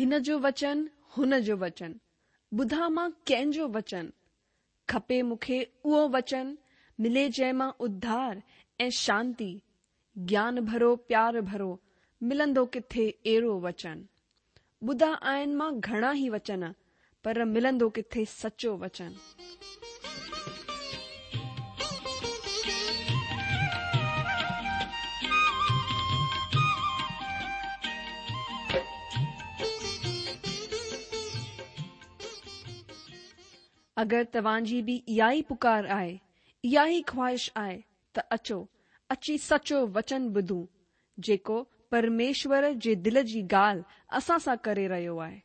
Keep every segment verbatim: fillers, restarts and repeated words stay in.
هن جو وچن، هن جو وچن، ٻڌان مان ڪنهن جو وچن؟ کپي مون کي اهو وچن، ملي جنهن مان اڌار ۽ شانتي، گيان ڀرو پيار ڀرو، ملندو ڪٿي اهڙو وچن؟ ٻڌا آهن مان گهڻا ئي وچن، پر ملندو ڪٿي سچو وچن؟ اگر توهان جي به اها ئي پڪار آهي، اها ئي خواهش آهي ته اچو، اچي سچو وچن ٻڌون، جيڪو پرميشور جي دل جي ڳالهه اسان سان ڪري رهيو آهي.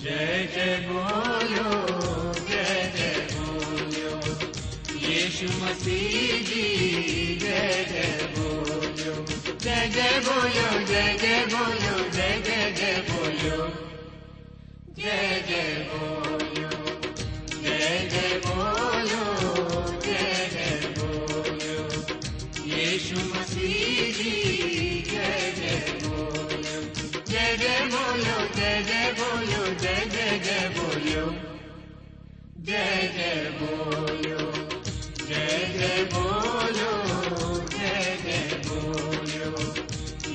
जय जय बोलो, जय जय बोलो, यीशु मसीह जी जय जय बोलो, जय जय बोलो, जय जय बोलो, जय जय जय बोलो, जय जय बोलो, जय जय बोलो, जय जय बोलो, यीशु मसीह जी जय जय बोलो, जय जय बोलो, जय जय बोलो, जय जय जय बोलो, जय जय बोलो, जय जय बोलो, जय जय बोलो,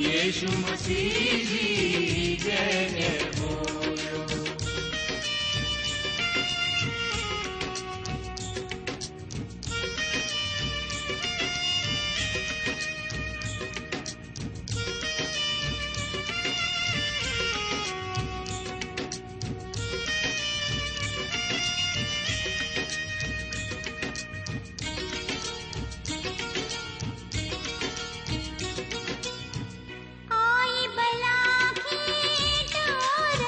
यीशु मसीह जी जय जय बोलो। आई बला खे डार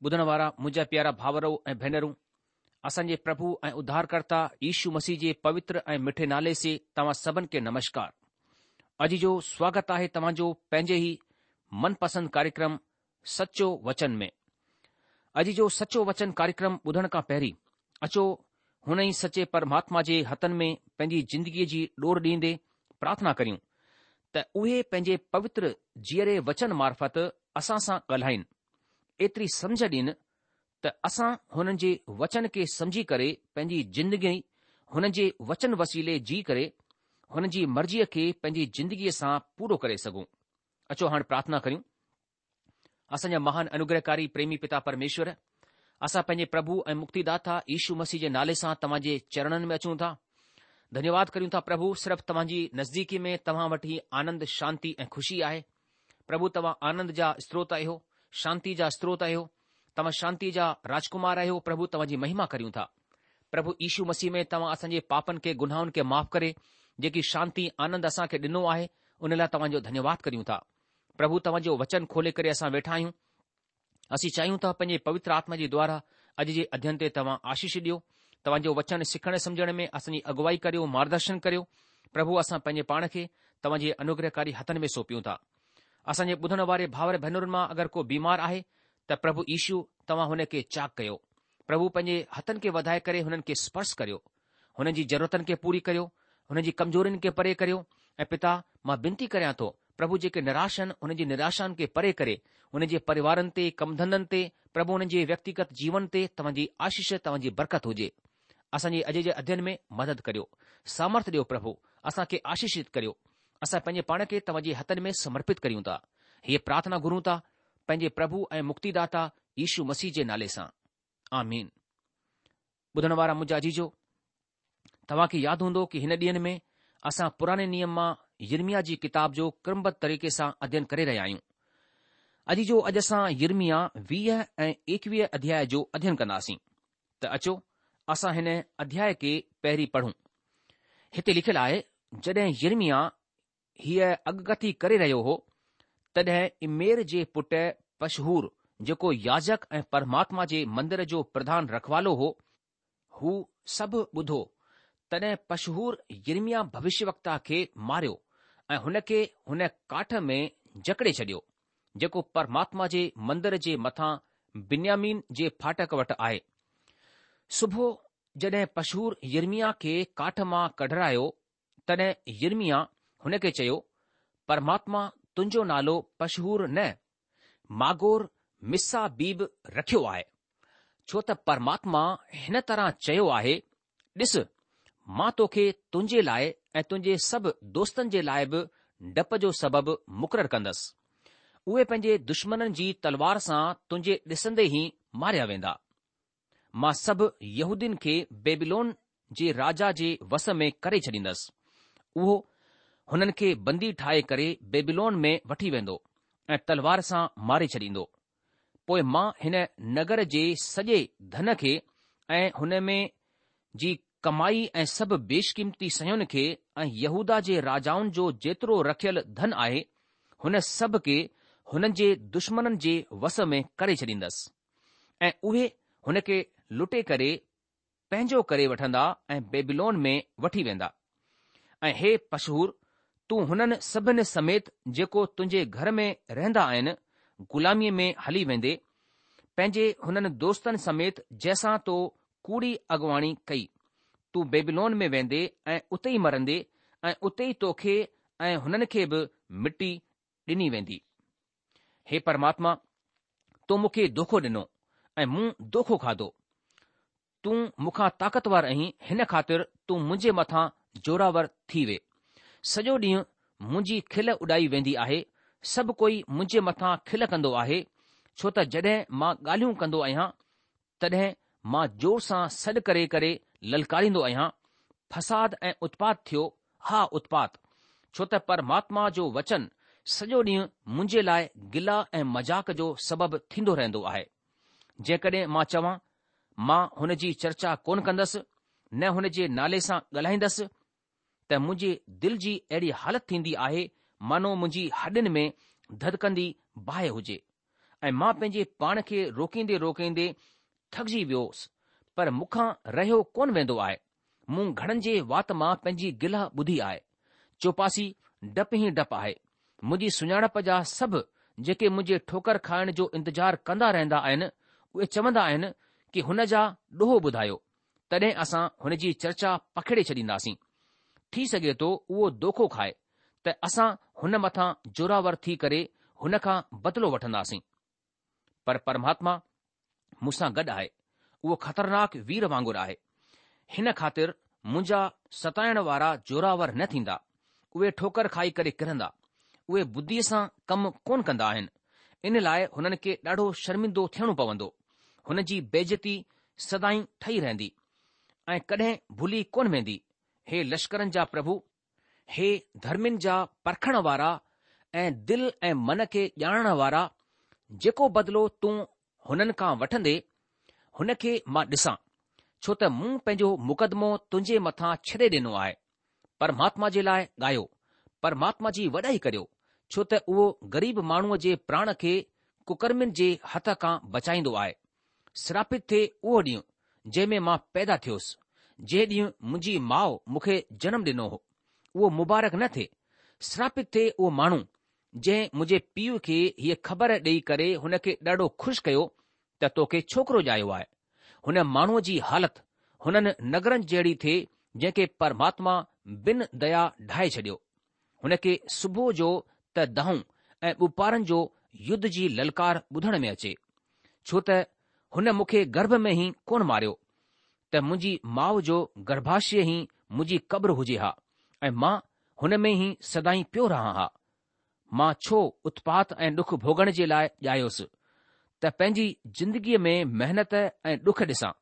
ٻڌڻ وارا منهنجا پيارا ڀائرو ۽ ڀينرون، اسان جي پرڀو ۽ اڌارڪرتا يشو مسيح جي پوتر ۽ مٺي نالي سي توهان سڀن کي نمشڪار. اڄ جو سواگت آهي توهان جو پنهنجي ئي من پسند ڪاريڪرم سچو وچن ۾. اڄ جو سچو وچن ڪاريڪرم ٻڌڻ کان پهرين اچو هن ئي سچي پرماتما جي هٿن ۾ پنهنجي زندگيء جي ڏور ڏيندي پرارٿنا ڪريون ته اهي پنهنجي پوتر جيئري وچن معرفت اسان سان ڳالهائين، ايتري سمجهه ڏين ته اسان هنن جي وچن کي سمجهي ڪري پنهنجي زندگي هن جي وچن وسيلي جي ڪري هن جي مرضيء کي پنهنجي زندگيء سان پورو ڪري سگهون. اچو هاڻ پرارٿنا ڪريون. اسان جا مهان انوگرهڪاري پريمي پتا پرميشور، اسان پنهنجي پرڀو ۽ مڪتيداتا يشو مسيح جي نالي سان توهان جي چرڻن ۾ اچون ٿا. ڌنيواد ڪريون ٿا پرڀو صرف توهان جي نزديڪي ۾ توهان وٽ ئي آنند، شانتي ۽ خوشي آهي. پرڀو توهان آنند جا استروت آهيو، شانتي جا استروت آهيو، توهان شانتي جا راجڪمار آهيو، پرڀو توهان جي مهما ڪريون ٿا. پرڀو يشو مسيح ۾ توهان اسان جي پاپن کي گناهن کي معاف ڪري جيڪي شانتي آنند اسان کي ڏنو آهي ان لاء توهان جو ڌنيواد ڪريون ٿا. پرڀو توهان جو وچن کولي ڪري اسان ويٺا آهيون. اسين چاهيون ٿا پنهنجي پوتر آتما جي دوارا اڄ جي اڌين تي توهان آشيش ڏيو. توهان جو وچن سکڻ سمجهڻ ۾ اسان جي اڳوائي ڪريو، مارگدرشن ڪريو. پرڀو اسان پنهنجي پاڻ کي توهان جي انوگرهڪاري هٿن ۾ سونپيون ٿا. اسان جي ٻڌڻ واري ڀائر ڀينرن مان اگر ڪو بيمار آهي ته پرڀو يشو توهان هن کي چاڪ ڪيو. پرڀو پنهنجي هٿن کي وڌائي ڪري هنن کي سپرش ڪريو. هنن جي ضرورتن کي پوري ڪريو، هنن جي ڪمزورين کي پري ڪريو ۽ پتا مان بنتي ڪريان ٿو پرڀو جيڪي نراش آهن هنن جي نراشائن کي پري ڪري هنن جي پريوارن تي ڪم ڌنڌن تي پرڀو هنن جي ويڪتيگت جيون تي توهان جي آشيش توهان جي برڪت هجي. اسان جي اڄ جي اڌين ۾ مدد ڪريو. سامرٿ ڏيو پرڀو اسان کي آشيشت ڪريو. اسان پنهنجي پاڻ کي توهان جي هٿن ۾ سمرپت ڪريون ٿا. هيء پرارٿنا گهرون ٿا پنهنجي پرڀو ۽ مڪتيداتا يشو مسيح جي نالي سان. آمين. ٻڌڻ وارا منهنجا عزيزو، توهان کي ياد هوندو ڪه هن ڏينهن ۾ اسان پراڻي نيم مان يرمياه جي ڪتاب جو ڪرمبڌ طريقي سان اڌين ڪري رهيا آهيون. عزيزو اڄ اسان يرمياه ويهه ۽ ايڪويهه اڌياء جو اڌين ڪنداسين. ته اچو اسان هن اڌياء کي پهرين پڙهون. هتي لکيل آهي، جڏهن يرمياه هيء اڳڪٿي ڪري رهيو هو، تڏهن امير جي پٽ پشحور جيڪو ياجڪ ۽ پرماتما جي مندر جو پرڌان رکوالو هو، هو سڀ ٻڌو، تڏهن پشحور يرمياه ڀوشيوڪتا کي ماريو ۽ هن کي هن ڪاٺ ۾ جڪڙي ڇڏيو، جيڪو پرماتما جي مندر جي مٿان بنيامين جي ڦاٽڪ وٽ آهي. صبح جڏهن پشحور يرمياه کي ڪاٺ مان ڪڍرايو، تڏهن يرمياه هن کي چيو، پرماتما تنهنجو نالو پشحور نه، ماگور مسابيب رکيو آهي، ڇو ته پرماتما هن طرح چيو آهي، ڏس، مان توکي تنهنجي لاء ۽ تنهنجي سڀ دوستن جي لاء به ڊپ جو سبب مقرر ڪندس. اهي پنهنجي دشمنن جي تلوار سان تنهنجي ڏسندي ئي ماريا ويندا. مان سڀ يهودين کي بيبيلون جي راجا جي وس ۾ ڪري ڇڏيندس. اهو هنن کي بندي ٺاهي ڪري بيبيلون ۾ وٺي ويندو ۽ تلوار سان ماري ڇڏيندو. پوء مان هن نگر جي سڄي ڌن کي ۽ هن ۾ جي ڪمائي ۽ سڀ بيشقيمتي شين کي ۽ يهوداه جي راجائن جو جيترو رکيل ڌن آهي، هن سڀ کي هنن جي دشمنن جي وس ۾ ڪري ڇڏيندس ۽ اهي هن کي لٽي ڪري پنهنجو ڪري وٺندا ۽ بيبيلون ۾ وٺي ويندا. ۽ هي پشحور، تون هنن سڀن سميت جيڪو تنهنجي گهر ۾ رهندا آهن، غلاميء ۾ هلي ويندي، پنهنجي هنن دوستن سميت جنهن سان تو ڪوڙي اڳواڻي ڪئي. تون بيبيلون ۾ ويندي ۽ اتي ئي مرندي ۽ اتي ئي توکي ۽ هنن کي به مٽي ڏني ويندي. هي پرماتما، تو مون کي دوکو ڏنو ۽ مون دوکو کاڌو. تون مون کان طاقتور آهين، هن خاطر تون منهنجي مٿان زوراور ٿي وي. سڄو ڏينهن منهنجي کل اڏائي ويندي آهي، سڀ ڪوئي منهنجي مٿان کل ڪندو آهي، ڇو ته جڏهن مان ڳالهيون ڪندو آهيان، تڏهن مان زور سان سڏ ڪري ڪري للڪاريندو آهيان، فساد ۽ اتپات ٿيو، ها اتپات! ڇو ته پرماتما جو وچن سڄو ڏينهن منهنجي لاء گلا ۽ مذاق جو سبب ٿيندو رهندو آهي. جيڪڏهن مان چوان، مان هن جي چرچا ڪونه ڪندس، نه هن جي نالي سان ڳالهائيندس، ته منهنجي دل جي اهڙي حالت ٿيندي آهي مانو منهنجي هڏين ۾ ڌڌڪندي باهه هجي. ۽ مان پنهنجي پاڻ کي روڪيندي روڪيندي ٿڪجي ويوس، پر مون کان رهيو ڪونه ويندو آهي. مون گهڻن جي وات مان پنهنجي گلا ٻڌي آهي. چوپاسي ڊپ ئي ڊپ آهي. منهنجي سڃاڻپ جا سڀ جيڪي منهنجي ٺوڪر کائڻ جو انتظار ڪندا رهندا آهن، اهي چوندا آهن ڪي هن جا ڏوهه ٻڌايو، تڏهن اسان هن جي چرچا پکيڙي ڇڏينداسين. ٿي سگهي ٿو اهو دوکو کائي ته اسان هن مٿان زوراور ٿي ڪري هن کان بدلو وٺنداسين. پر پرماتما مون سان گڏ آهي، اهو خطرناڪ وير وانگر آهي. هن خاطر منهنجا ستائڻ وارا زوراور نه ٿيندا، اهي ٺوڪر کائي ڪري ڪرندا. اهي ٻڌيء سان ڪم ڪونه ڪندا آهن، ان لاء هنن کي ڏاڍو شرمندو ٿيڻو پوندو. هن جي بيعزتي سدائين ٺهي رهندي ۽ ڪڏهن ڀلي ڪونه ويندي. هي لشڪرن جا پرڀو! هي ڌرمين جا پرکڻ وارا ۽ دل ۽ من کي ڄاڻڻ وارا، جيڪو بدلو تون هنن کان وٺندي، هن کي مان ڏسان، ڇو ته مون پنهنجو مقدمو تنهنجي مٿان ڇڏي ڏنو آهي. پرماتما جي لاء ڳايو، پرماتما جي وڏائي ڪريو، ڇو ته اهو غريب ماڻهوء جي پراڻ کي ڪڪرمين جي هٿ کان بچائيندو آهي. سراپت ٿئي اهو ڏينهن، جنهن ۾ مان پيدا ٿيس، جنهن ڏينهن منهنجي ماء مون کي جنم ڏنو هو، اهو مبارڪ نه ٿئي. سراپت ٿئي اهو ماڻهو، جنهن منهنجي پيء کي هيء خبر ڏيئي ڪري هن کي ڏاڍو خوش ڪيو ته توکي ڇوڪرو ڄايو آهي. هن ماڻهوء جي حالت هنن نگرن جهڙي ٿئي جنهن کي پرماتما بن ديا ڍاهي ڇڏيو. هن کي صبح جو ته دانهون ۽ ٻپهرن جو يڌ جي للڪار ٻڌڻ ۾ اچي. ڇو ته هن مون کي گرڀ ۾ ئي ڪونه ماريو، ته منهنجي ماء جو گرڀاشيه ئي منهنجي قبر هجي ها ۽ مان هن ۾ ئي سدائين پيو رهان ها. مان ڇو اتپات ۽ ڏک ڀوڳڻ جي لاء ڄايس، ته پنهنجي زندگيء ۾ محنت ۽ ڏک ڏسان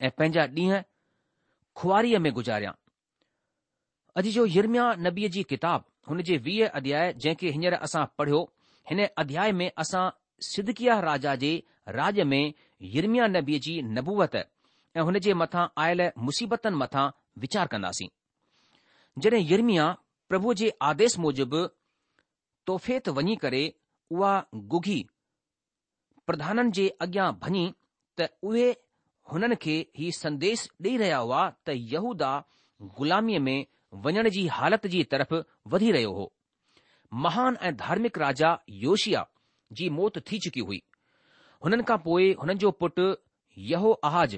۽ پنهنجا ڏينهن خواريء ۾ گذاريان. اڄ جو يرمياه نبيء جي ڪتاب هن جي ويهه اڌياء جنهن کي هينئر اسان پڙهيو، هن اڌياء ۾ اسان صدقياه راجا جي راڄ ۾ يرمياه نبيء جي نبوت ۽ هن جي مٿان آيل مصيبتن مٿان ويچار ڪنداسين. جڏهن يرمياه پرڀوء جي آديش موجب توفيت وڃي ڪري اها گگهي پرڌانن جي اڳيان ڀڃي ته اهي هنن کي هي سنديش ڏيئي رهيا هئا ته يهوداه غلاميء ۾ وڃڻ جي حالت جي طرف وڌي رهيو هو. مهان ۽ ڌارمڪ راجا يوشيا جي موت ٿي چڪي هئي. هنن کان پوء هنن جو پٽ يهوآحاز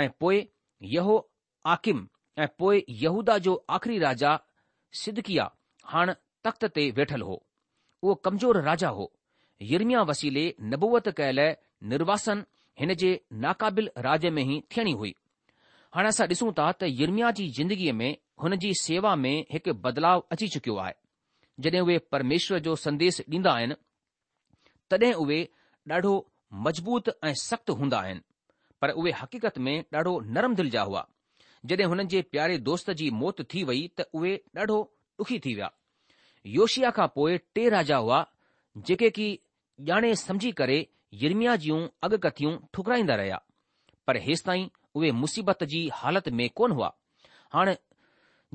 ۽ پوء يهوآقيم ۽ پوء يهوداه جو آخري راجا صدقياه هاڻ تخت تي ويٺل هو. اهو ڪمزور راجا هو. يرمياه وسيلي نبوت ڪيل نرواسن هن جي ناقابل راڄ ۾ ئي ٿيڻي هئي. هاڻي اسان ڏسون ٿا ته يرمياه جي زندگيء ۾ هن جي سيوا ۾ هڪ بدلاء اچي چڪيو آهي. جڏهن اهي پرميشور جو سنديش ڏيندا آهن، تڏهن اهي ڏاڍو مضبوط ۽ سخت هوندا آهن، پر اهي حقيقت ۾ ڏاڍو نرم دل جا هئا. جڏهن هنن جي پياري دوست جي موت ٿي وئي ته اهي ڏاڍو ڏکي ٿي ويا. يوشيا کان پوء ٽي راجا هئا جيڪي ڪي ڄاڻي سمجهي ڪري يرمياه جون اڳڪٿيون ٺڪرائيندا رهيا، پر هيستائين اهي مصيبت جي حالت ۾ ڪونه هئا. هاڻ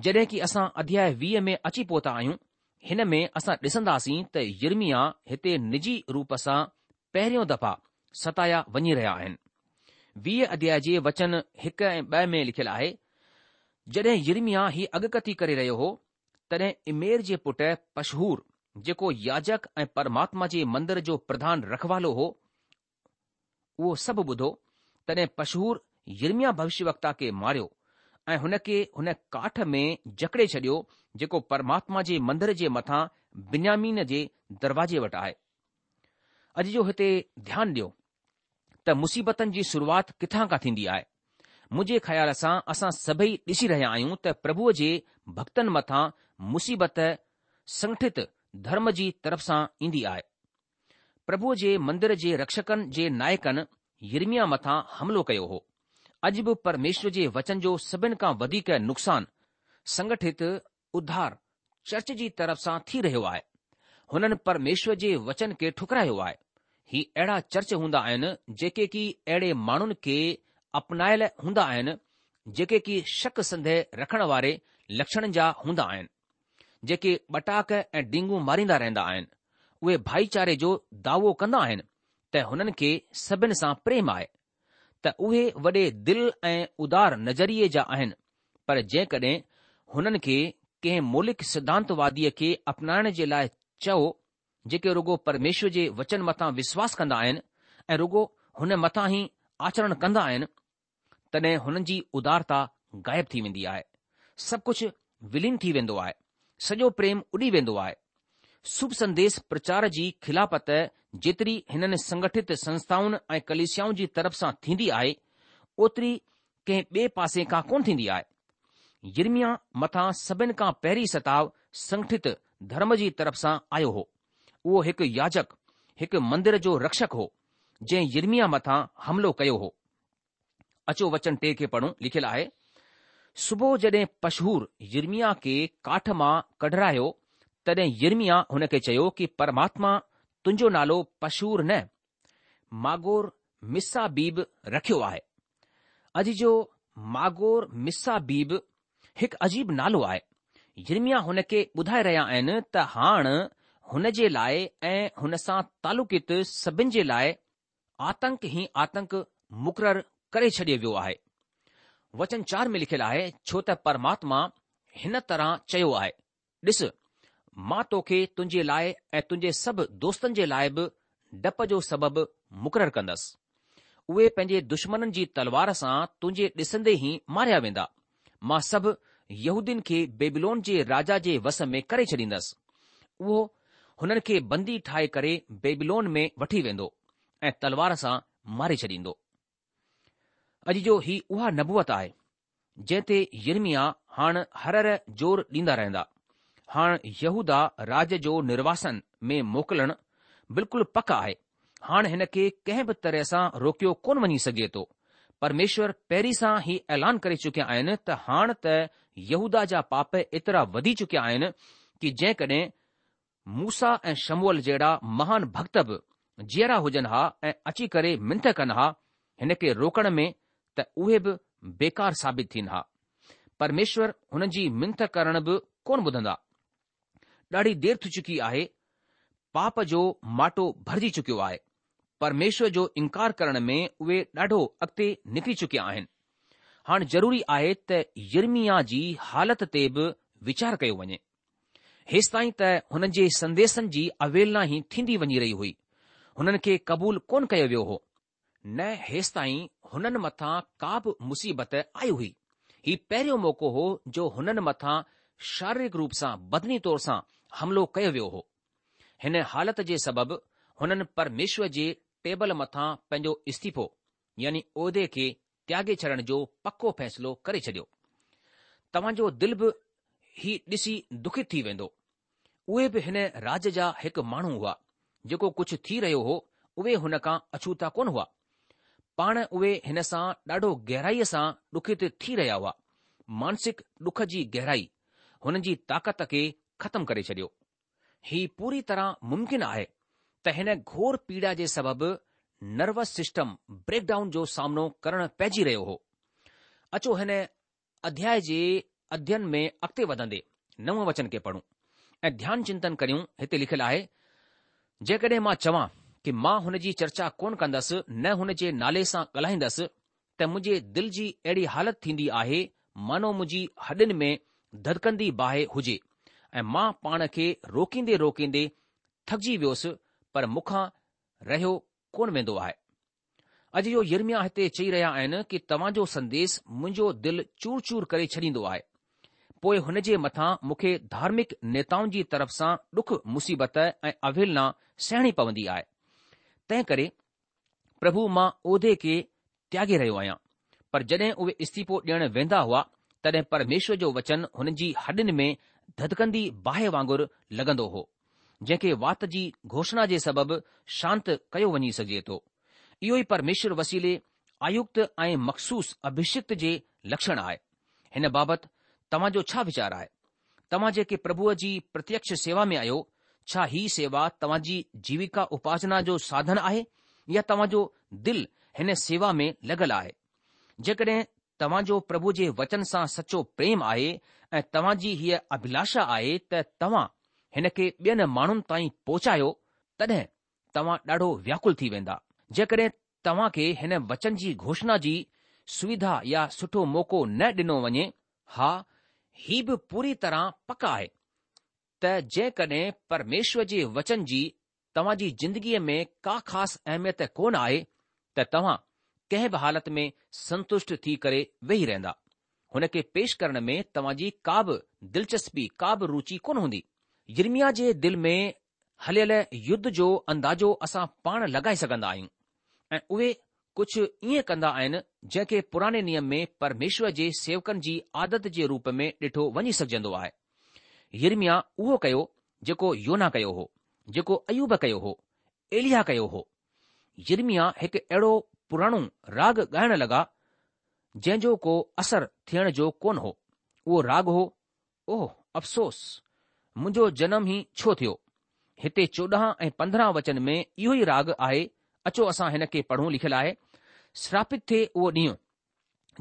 جڏهن ڪي اسان اڌياء ويهه ۾ اچي پهتا آهيون، هن ۾ اسان ڏسنداسين ته يرمياه هتي نجي روپ سان پهريون دفعا ستايا وڃي رهيا آهن. ويهه اڌياء جي وچن هڪ ۽ ٻه ۾ لکيل آهي، جڏهن يرمياه هي اڳڪٿي ڪري رهيو هو، تڏهن امير جي پٽ پشحور، جيڪو ياجڪ ۽ پرماتما جي مندر جو پرڌان رکوالو هو، اهو سڀ ٻڌو، تڏهن پشحور يرمياه ڀوشيوڪتا کي ماريو ۽ هن کي هن ڪاٺ ۾ جڪڙي ڇڏيو، جيڪو پرماتما جي مندر جي مٿان بنيامين جي دروازي وٽ آهي. اڄ جو هتي ڌيان ڏيو ته مصيبتن جي شروعات ڪٿان کان ٿيندي آهي. منهنجي خيال سان اسان سڀئي ڏسي رهيا آهيون ته پرڀوء جي ڀڳتن مٿان مصيبت سنگٺت ڌرم جي طرف سان ايندي آهي. پرڀوء جي مندر جي رڪشڪن جي نائڪن يرمياه مٿان حملو ڪيو هو. اڄ به پرميشور جي وچن جو سڀن کان وڌيڪ نقصان سنگٺت اڌار چرچ جي طرف سان ٿي رهيو آهي. هنن پرميشور جي وچن کي ٺڪرايو آهي. هي اهڙا چرچ هوندا آهن جيڪي ڪي اهڙي ماڻهن کي اپنايل هوندا آهن جيڪي ڪي شڪ سنديهه رکڻ واري لڪشڻن جا هوندا آهن. جيڪي ٻٽاڪ ۽ ڊينگون ماريندا رهندا آهن. اهي ڀائيچاري جو دعوو ڪندا آهن ته هنن کي سڀن سان پريم آهي، ته اهي وڏي دل ۽ ادار نظريي جا آهن، پر جيڪڏهن هنن کي ڪنهن مولڪ سڌانتواديء کي اپنائڻ جي لاء چئو، جيڪي رڳو پرميشور جي وچن مٿان وشواس ڪندا آهن ۽ رڳو هن مٿان ئي آچرڻ ڪندا آهن، تڏهن هنن جي ادارتا غائب ٿي ويندي آهي. سڀ ڪجهه ولين ٿي ويندو آهي. سڄو پريم اڏي ويندو آهي. شڀ سنديش پرچار جي خلافت جيتري هنن سنگٺت سنسٿائن ۽ ڪليسيائن جي طرف سان ٿيندي آهي، اوتري ڪنهن ٻئي پاسي کان ڪونه ٿيندي آهي. يرمياه مٿان سڀن کان پهرين ستاء سنگٺت ڌرم جي طرف سان آيو هو. اهو هڪ ياجڪ، هڪ مندر جو رڪشڪ هو، جنهن يرمياه مٿان حملو ڪيو هو. اچو وچن ٽي کي پڙهون، لکيل آهي، صبح جڏهن پشحور يرمياه کي ڪاٺ مان ڪڍرايو، تڏهن يرمياه هن کي چيو ڪي پرماتما تنهنجو نالو پشحور نه، ماگور مسابيب رکيو آهي. عزيزو ماگور مسابيب هڪ عجيب نالو آهي. يرمياه هن کي ٻڌائي رهيا آهن ته هاڻ هن جي لاء ۽ هن سان تعلقيت سڀن جي لاء آتنڪ ئي آتنڪ مقرر ڪري ڇڏيو ويو آهي. وچن چار ۾ لکيل آهي، ڇو ته پرماتما هن طرح چيو آهي، ڏس، مان توکي تنهنجي لاء ۽ تنهنجي سڀ دوستن جي لاء به ڊپ جو سبب مقرر ڪندس. اهي پنهنجي دشمنن جي تلوار سان تنهنجي ڏسندي ئي ماريا ويندا. مان سڀ يهودين کي بيبيلون جي راجا جي وس ۾ ڪري ڇڏيندس. اهو هنن کي بندي ٺاهي ڪري بيبيلون ۾ وٺي ويندو ۽ تلوار سان ماري ڇڏيندو. عزيزو هي اها نبوت آهي، جنهن تي يرمياه هاڻ هر هر زور ڏيندا رهندا. هاڻ يهوداه راج جو نرواسن ۾ موڪلڻ بلڪل پڪ آهي. هاڻ هن کي ڪنهن به طرح سان روڪيو ڪونه وڃي سگهي ٿو. پرميشور پهرين سان هي اعلان ڪري چڪيا آهن ته هاڻ ته يهوداه جا پاپ ايترا وڌي چڪيا آهن ڪي جيڪڏهن موسيٰ ۽ شموئل جهڙا مهان ڀڳت به جيئرا هجن ها ۽ اچي ڪري منٿ ڪن ها هن کي روڪڻ ۾ ته اهي به بيڪار ثابت ٿين ها. پرميشور هنن جي منٿ ڪرڻ به ڪونه ٻڌندا. ڏاڍي دير ٿي چڪي آهي، پاپ جو ماٽو ڀرجي چڪيو آهي. پرميشور جو انڪار ڪرڻ ۾ اهي ڏاڍو اڳتي نڪري چڪيا آهن. هاڻ ضروري آهي ته يرمياه جي حالت تي به ويچار ڪيو وڃي. هيستائين ته هنن جي سنديسن جي اوهيلنا ئي ٿيندي وڃي رهي هئي. هنن کي قبول ڪونه ڪيو ويو هو. نه هيستائين هنن مٿان ڪا به مصيبت آئي هئي. هي پهريون موقعو هو جو هنن مٿان شاريرڪ روپ سان بدني طور سان حملو ڪيو ويو هو. هن حالت جي سبب هنن پرميشور جي ٽيبل مٿان پنهنجو استعيفو يعني عهدي کي تياڳي ڇڏڻ جو پڪو فيصلو ڪري ڇڏيو. توهان جو دل به هي ڏسي دکت ٿي ويندو. اهي به هن راج جا هڪ ماڻهو هئا. جيڪو ڪجهه ٿي رهيو هو، اهي هن کان اڇوتا ڪونه هئا. پاڻ اهي هن سان ڏاڍو گهرائيء سان ڏکت ٿي رهيا هئا. مانسڪ ڏک جي گهرائي هنن جي طاقت کي ختم ڪري ڇڏيو. هي پوري طرح ممڪن آهي ته هن گهور پيڙا جي سبب نروس سسٽم بريڪ ڊائون جو سامنو ڪرڻ پئجي رهيو هو. اچو هن اڌياء جي اڌين ۾ اڳتي وڌندي نو وچن کي پڙهون ۽ ڌيان چنتن ڪريون. هتي لکيل آهي، جيڪڏهن مان چوان ڪي مان هن جي چرچا ڪونه ڪندس نه هن جي نالي سان ڳالهائيندس ته منهنجي دل جي اهڙي حالت ٿيندي آهي مانو منهنجي هڏين ۾ ڌڌڪندي باهه هجي ۽ مان پاڻ کي روڪيندي روڪيندي ٿڪجي ويس پر مون کان رهيو ڪونه ويندو آهي. اڄ جو يرمياه هتي چئي رهيا آهن ڪي توهان جو سنديس منهنجو دل چور چور ڪري ڇڏيندو آهي. پوء هن جي مٿان مون کي ڌارمڪ نيتائن جي طرف سان ڏک مصيبت ۽ اوهيلنا سهڻي پوندي آهي. تنهن ڪري پرڀو مان عهدي کي تياڳي رهيو آهيان. پر جڏهن اهي استعيفو ڏيڻ ويندا هئا تڏهن پرميشور جو وچن هنن جي هڏين ۾ ڌڌڪندي باهه وانگر لڳندو هو. جنهن کي وات جي گهوشڻا جي سبب شانت ڪيو وڃي سگهجي ٿو. اهو ئي پرميشور وسيلي آيڪت ۽ مخصوص اڀشڪت جي لڪشڻ آهي. هن بابت توهان جو ڇا ويچار آهي؟ توهان جيڪي پرڀوء جي پرتيڪش سيوا ۾ آهيو، ڇا هي سيوا توهان جي جيوڪا اپارجنا جو ساڌن آهي يا توهان جو دل هن سيوا ۾ لڳل آهي؟ جيڪڏهن توهان جو پرڀو جي وچن سان سچو پريم آهي ۽ توهان جي هيء اڀلاشا آهي ته توهان هن کي ٻين ماڻهن تائين پهچايو، تڏهن توهان ڏاڍو وياڪل ٿي ويندا. جيڪڏهن توهان کي هن وچن جي گهوشڻا جي سوڌا يا سٺو موقعو نه ڏنو وڃي، ها، هي به پوري طرح پڪ آهي ته جيڪڏهن پرميشور جي وچن جي توهان جي زندگيء ۾ ڪا خاص اهميت ڪونه آهي ته توهان ڪنهن به حالت ۾ سنتشٽ ٿي ڪري ويهي رهندا. هن کي پيش ڪرڻ ۾ توهان جي ڪا به دلچسپي، ڪا به روچي ڪونه هوندي. يرمياه جي دل ۾ هليل يڌ جو اندازو اسان پاڻ لڳائي سگهندا آهيون ۽ اهي ڪجهه ائين ڪندا آهن جنهن کي پراڻي نيم ۾ پرميشور جي سيوڪن جي عادت جي روپ ۾ ڏٺو وڃي سگهجندو آهي. يرمياه اهو ڪيو جيڪو يونا ڪيو هو، جيڪو ايوب ڪيو هو، ايلياه ڪيو هو. يرمياه هڪ اهڙو پراڻو راڳ ڳائڻ لڳا جنهن جو ڪو اثر ٿيڻ جو ڪونه هو. اهو راڳ هو، اوه افسوس! منهنجو جنم ئي ڇو ٿيو؟ هتي چوڏهن ۽ پندرهن وچن ۾ اهو ئي راڳ آهي، اچو اسان هن کي پڙهون لکيل آهي، شراپت ٿئي اهو ڏينهن،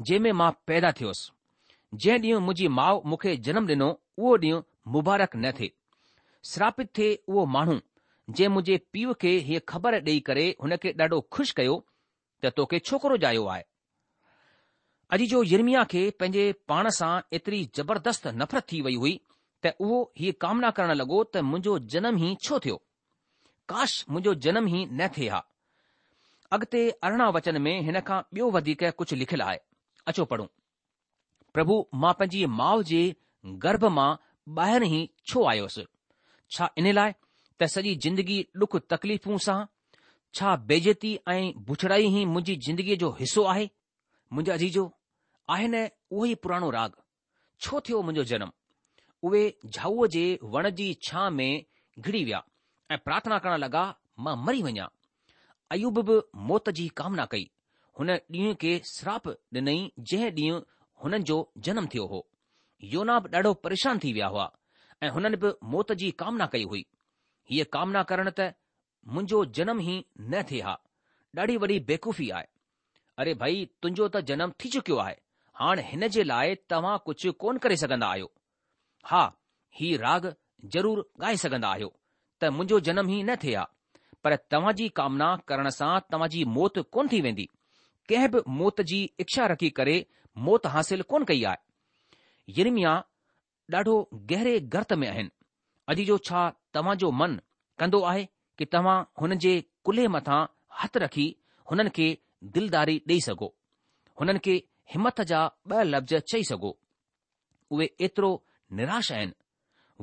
جنهن ۾ مان پيدا ٿيس. جنهن ڏينهن منهنجي ماء مون کي جنم ڏنو اهو ڏينهن مبارڪ نه ٿئي. شراپت ٿئي اهو ماڻهو جنهن منهنجي پيء کي هيء خبر ڏيئي ڪري هن کي ڏاڍو خوش ڪيو ته توکي ڇوڪرو ڄايو آهي. عزيزو يرمياه کي پنهنجي پاڻ سان ايتري زبردست نفرت ٿي وئي هئي ته اهو هيء ڪامنا ڪرڻ لڳو ته منهنجو جنم ئي ڇو ٿيو؟ ڪاش منهنجو جنم ئي نه ٿئي ها. اڳتي ارڙهن وچن ۾ هن کان ٻيو وڌيڪ ڪجهه لکيل آهي. اچو پڙهون. پرڀو مان پنهنجي ماء جي گرڀ مان ٻاهر ئي ڇو آيس؟ ڇا ان لاء ته سڄي زندگي ڏک تڪليفون سهان؟ ڇا بيعزتي ۽ بڇڙائي ئي منهنجي زندگيء جو حصو آهي؟ منهنجا عزيزو، آهي نه اهو ئي پراڻو راڳ، ڇو ٿيو منهنجو جنم؟ اهي جهائوء جي وڻ جي ڇانهه ۾ گهڙي ويا ۽ پرارٿنا ڪرڻ لڳا، مان مري وڃان. ايوب به موت جي ڪامنا ڪئي. هن ڏينهن کي سراپ ڏنئي جنهن ڏينهن هنن جو جنم ٿيو هو. يونا به ڏاڍو پريشان ٿي ويا هئا ۽ هنن به موت جي ڪامنا ڪئي هئي. هيء ڪامنا ڪرڻ ته منهنجو جنم ئي نه ٿئي ها، ڏاڍي وڏي بيوقوفي آهي. اري ڀئي تنهنجو ته جنم ٿي چڪيو آهي، هاڻ هن جي لاء توهان ڪجهه ڪونه ڪري سگهندا آهيو. ها هي راڳ ضرور ڳائي سگهندا آهيو ته منهنجو جنم ئي نه ٿئي ها، پر توهان جي ڪامنا ڪرڻ سان توهان جي موت ڪونه ٿي ويندي. ڪنهن به موت جي اڇا رکي ڪري موت حاصل ڪونه ڪئي آهي. يرمياه ڏاڍو گهري گرت ۾ آهن. عزيزو ڇا توهان جو من ڪندو آهي ڪي توهان هن جي ڪلهي مٿان هٿ رکي هنن کي دلداري ڏيئي سگهو، هنن کي همٿ جا ٻه لفظ چئي سگهو. اهي ايترو نراش آهن،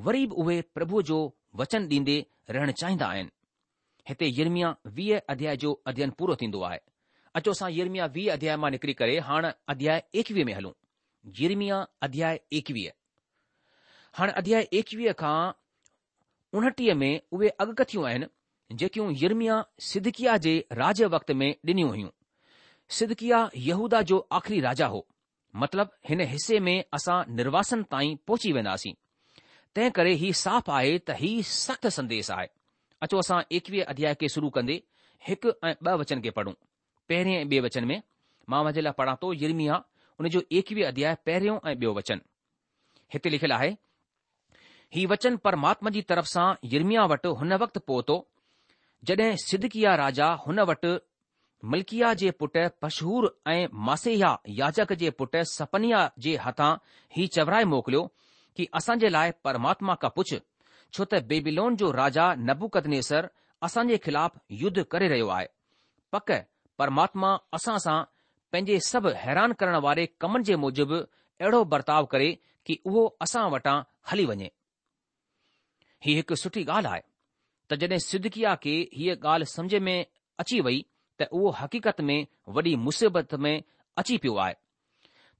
وري به اهي پرڀوء جو وچن ڏيندي رهڻ چاهيندا آهن. هتي يرمياه ويهه اڌياء جو اڌيين پورو ٿيندو آهي. اچو اسان يرمياه ويهه اڌياء مان نڪري ڪري هاڻ اڌياء ايڪويهه ۾ هلون. يرمياه اڌياء ايڪويهه. هاڻ اڌياء ايڪويهه کان اڻٽيهه ۾ اهي اڳڪٿيون آهن جيڪيون يرمياه صدقياه جي راڄ وقت ۾ ڏنيون هيون. صدقياه يهوداه جو آخري راجا هو. مطلب هن حصي ۾ اسان نرواسن تائين پهچي وينداسين. تنهن ڪري هي صاف آهي ته هي سخت سنديش آهي. اچو اسان ايڪويهه اڌياء کي شروع ڪندي هڪ ۽ ٻه وچن کي پڙهون. پهرين ۽ ٻئي وچن ۾ مان اوهان جي لاء پڙهان ٿو يرمياه ان جو ايڪويهه اڌياء پهريون ۽ ٻيو وچن. هتي لکيل آهي، هي وچن پرماتما جي طرف سان يرمياه وٽ هن وقت پهتو، جڏهن صدقياه راجا هن وٽ ملڪياه جي پٽ پشحور ۽ معسيياه ياجڪ جي پٽ صفنياه جي هٿان هي چورائي موڪليو ڪي اسان جي لاء پرماتما کان پڇ، ڇو ته بيبيلون جو راجا نبوڪدنيسر اسان جي خلاف يڌ ڪري رهيو آهي. پڪ پرماتما اسان سان پنهنجي سڀ حيران ڪرڻ واري ڪمن جي موجب اهڙو برتاء ڪري ڪي اهو اسان وٽان هلي وڃي. هي هڪ سٺي ڳالهه آهي ته جڏهن صدقياه کي هيء ڳالهه سمجهه ۾ اچي وئي ته اهو حقيقت ۾ وڏي مصيبت ۾ اچي پيو آهي،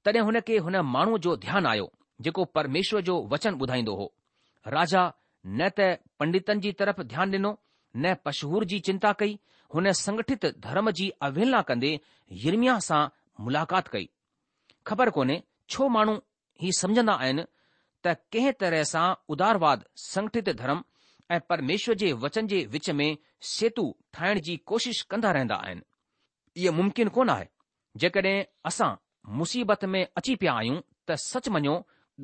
تڏهن هن کي هن ماڻهوء جو ڌيان آيو، جيڪو پرميشور جو وچن ٻڌائيندو هو. راجا نه ته پنڊتن جي طرف ڌيان ڏنو، نه پشحور جي چنتا ڪئي، هن سنگٺت ڌرم جي اوهيلنا ڪندي يرمياه سان ملاقات ڪئي. خبر ڪونهي ڇو ماڻهو هي سمجهندا آهن ته ڪنهن طرح سان ادارواد، سنگٺت ڌرم ۽ پرميشور جي وچن جي وچ ۾ سيتو ٺاهڻ جي ڪوشش ڪندا رهندا آهن. اهو ممڪن ڪونه آهي. جيڪڏهن اسان مصيبت ۾ اچي پيا آهيون ته سچ مڃو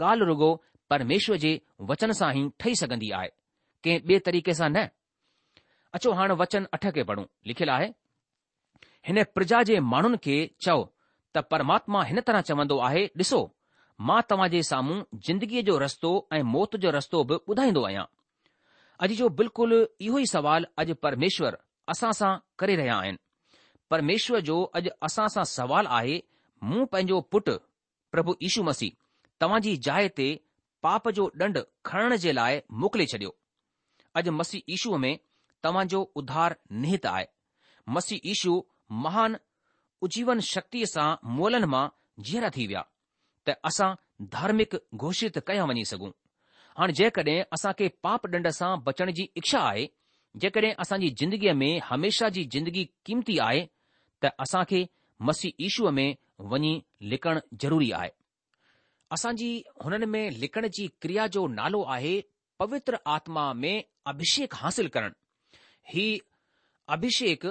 ڳالهه رڳو پرميشور جي وچن سان ئي ٺهي سگهندي آهي، ڪنهن ٻئي طريقي سان نه. اچو هاڻ وچن اٺ کي پڙهون. لکيل آهي. هن پرجا جي ماڻهن کي چئو ته پرماتما هن طرح چوندو آهي، ڏسو، مان توهان جي سامهون زندگيء جو رستو ۽ موت جو رستو به ٻڌائيندو آهيان. اڄ جو بلڪل اهو ئي سوال اڄ پرميشور اسان سان ڪري رهيا آهن. پرميشور جو اڄ اسان سان سوال آهي، مون پنهنجو پٽ پرڀو يشو مسيح توهان جي جاء تي پاپ جو ڏنڊ کڻڻ جي لاء موڪلي ڇڏيو. اڄ مسيح يشو ۾ توهان جو اڌار نهت آهي. مسيح يشو مهان اجيون شڪتيء سان مئلن مان جيئرا ٿي ويا ته اسان ڌارمڪ گهوشت ڪيا وڃي سگهون. هاڻ جيڪڏهن اسان کي پاپ ڏنڊ سان بچڻ جي اڇا آهي، جيڪڏهن اسان جي زندگيء ۾ هميشه جي زندگي قيمتي آهي ته اسان کي مسيح يشو ۾ وڃي لڪڻ ضروري آهي. اسان جي هنن ۾ لڪڻ جي ڪريا جو نالو آهي پوتر آتما ۾ اڀشيڪ حاصل ڪرڻ. هي اڀشيڪ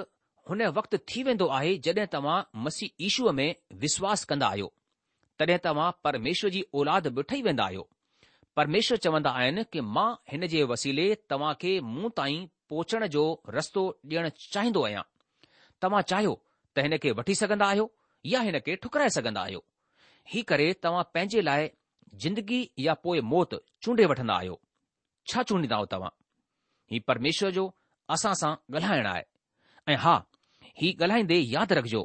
هن وقت ٿي ويندو آهي جڏهن توهان مسيح يشو ۾ وشواس ڪندا آهيو. تڏهن توهان پرميشور جي اولاد به ٺهي ويندا آهيو. پرميشور چوندا آهن ڪه مان هن جي وسيلي توهان کي مون تائين پهچڻ جو رستو ڏيڻ چاهيندو آهيان. توهان چاهيو ته هن کي وٺي سگهندا آهيو يا هن کي ٺڪرائي سگهندا آهيو. هي ڪري توهان پنهنجي لاء زندگي يا پوء موت چونڊي وٺندا آهيو. ڇا چونڊيندا توهان؟ هي پرميشور جو اسان سان ڳالهائڻ آهي. ۽ ها، هي ڳالهائيندي ياد رکجو،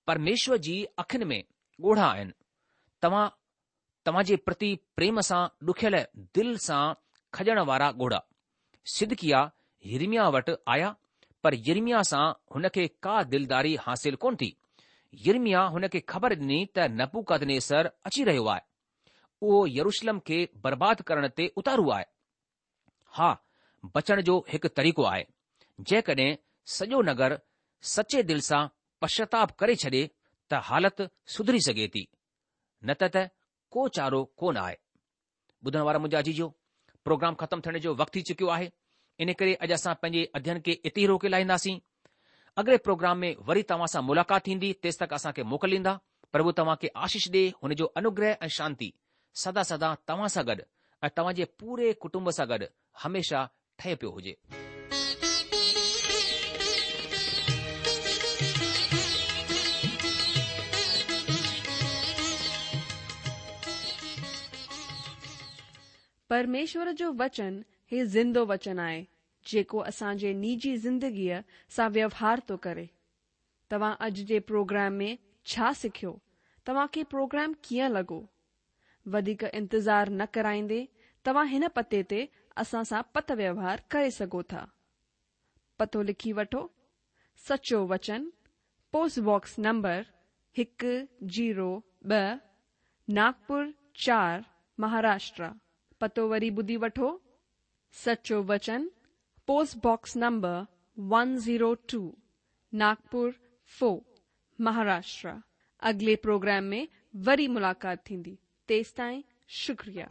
پرميشور جي اکين ۾ ڳوڙها آهن. توهان توهان جي پرتي پريم سان ڏکيل دل سان کڄڻ وارا ڳوڙها. صدقياه يرمياه وٽ آيا، پر يرمياه سان هن کي ڪا دلداري حاصل ڪونه ٿي. يرمياه هن کي خبر ڏني ته نبوڪدنيسر اچي رهيو آهي. اهو يروشلم کي برباد ڪرڻ تي اتارو آهي. ها، بچڻ جو هڪ طريقو آهي. جيڪڏهن سڄو نگر سچي دل سان پشچاتاپ ڪري ڇڏي ته حالت سڌري سگهي ٿي، نه ته ته ڪو چارو ڪونه آهي. ٻڌڻ وارا منهنجا عزيزو، پروگرام ختم ٿيڻ جو وقت ٿي چڪيو آهي، ان ڪري اڄ اسان پنهنجي اڌين کي اتي ئي روڪي لاهينداسين. اڳلي پروگرام ۾ وري توهان سان ملاقات ٿيندي، تيستڪ اسان کي موڪل ڏيندا. پرڀو توهان کي آشيش ڏي، هن جو انوگره ۽ شانتي سدا سدا توهان سان گڏ ۽ توهان جي پوري ڪٽنب سان گڏ هميشه ٺهي پيو هجي. پرميشور جو وچن هي زندو وچن آهي، جيڪو اسان جي نجي زندگيء سان ويوهار ٿو ڪري. توهان اڄ جي پروگرام ۾ ڇا سکيو؟ توهان کي پروگرام ڪيئن لڳو؟ وڌيڪ انتظار نه ڪرائيندي توهان هن پتي تي اسان سان پتر ويوهار ڪري سگهو ٿا. پتو لکي وٺو: سچو وچن، پوسٽ باڪس نمبر هڪ زيرو ٻه، ناگپور چار، مهاراشٽر. پتو وري ٻڌي وٺو: سچو وچن، post box number one zero two, Nagpur four, Maharashtra. اڳلي پروگرام ۾ وري ملاقات ٿيندي. تيستائين شڪريه.